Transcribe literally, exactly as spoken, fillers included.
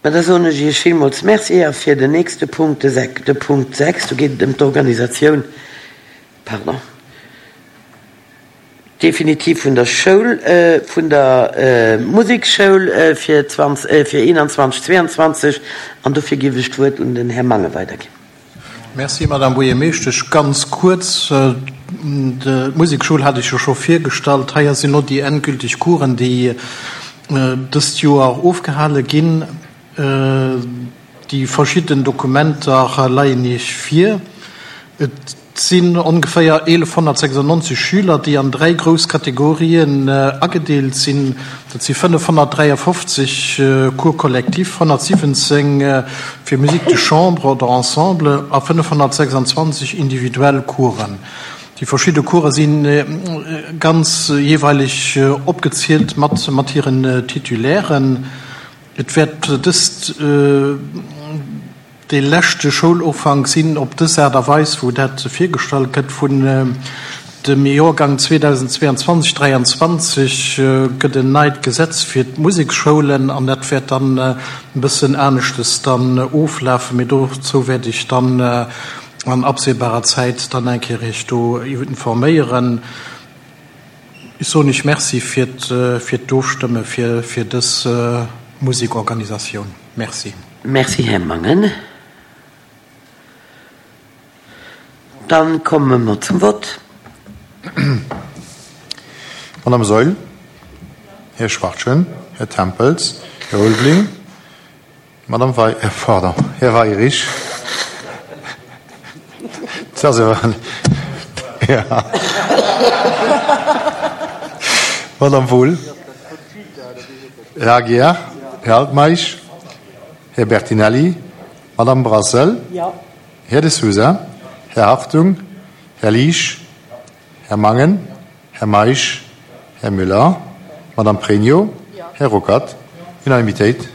Ma da soen ech Iech villmools Merci a fir den nächste Punkt, de sech, de Punkt sechs, do geet et ëm d'Organisatioun, pardon, definitiv vun der Schoul, vun der Musekschoul fir zwanzeg, fir eenanzwanzeg, zweeanzwanzeg an dofir géif ech d'Wuert un den Här Mangen weiderginn. Merci, Madame Buergermeeschtesch. Ganz kuerz, d'Musekschoul hat ech jo scho virgestallt. Hei sinn elo déi endgültig Coursen, déi dëst Joer ofgehale ginn. Déi verschidden Dokumenter leien Iech vir. Et sinn ongeféier eelefhonnertsechsundneunzeg Schüler, déi an dräi grouss Kategorien agedeelt sinn. Dat si fënnefhonnertdräiafofzeg Cours collectifs, honnertsiwwenzéng fir Musique de chambre oder Ensemble a fënnefhonnertsechsundzwanzeg individuell Coursen. Déi verschidde Course si ganz jeeweileg opgezielt mat mat hiren Titulairen. Et wäert dëst dee leschte Schoulufank sinn op dës Aart a Weis, wou dat virgestallt gëtt. Vun dem Joergang zweedausendzweeanzwanzeg dräianzwanzeg gëtt en neit Gesetz fir d'Museksschoulen an dat wäert dann e bëssen aneschtes dann oflafen. Mee dozou wäert ech dann an absehbarer Zäit dann eng Kéier Iech do informéieren. Ech soen Iech Merci fir d'Ofstëmme fir dës Musekorganisatioun. Merci. Merci, Här Mangen. Dann komme mer zum Vott. Madame Saeul, Här Schwachtgen, Här Tempels, Här Ulveling, Madame Wei, äh, pardon, Här Weirich. Dat ass awer, ja. Madame Wohl, Här Aguiar, Här Altmeisch, Här Bertinelli, Madame Brassel, Här De Sousa, Här Hartung, Här Liesch, Här Mangen, Här Meisch, Här Müller, Madame Pregno, Här Ruckert. Unanimitéit.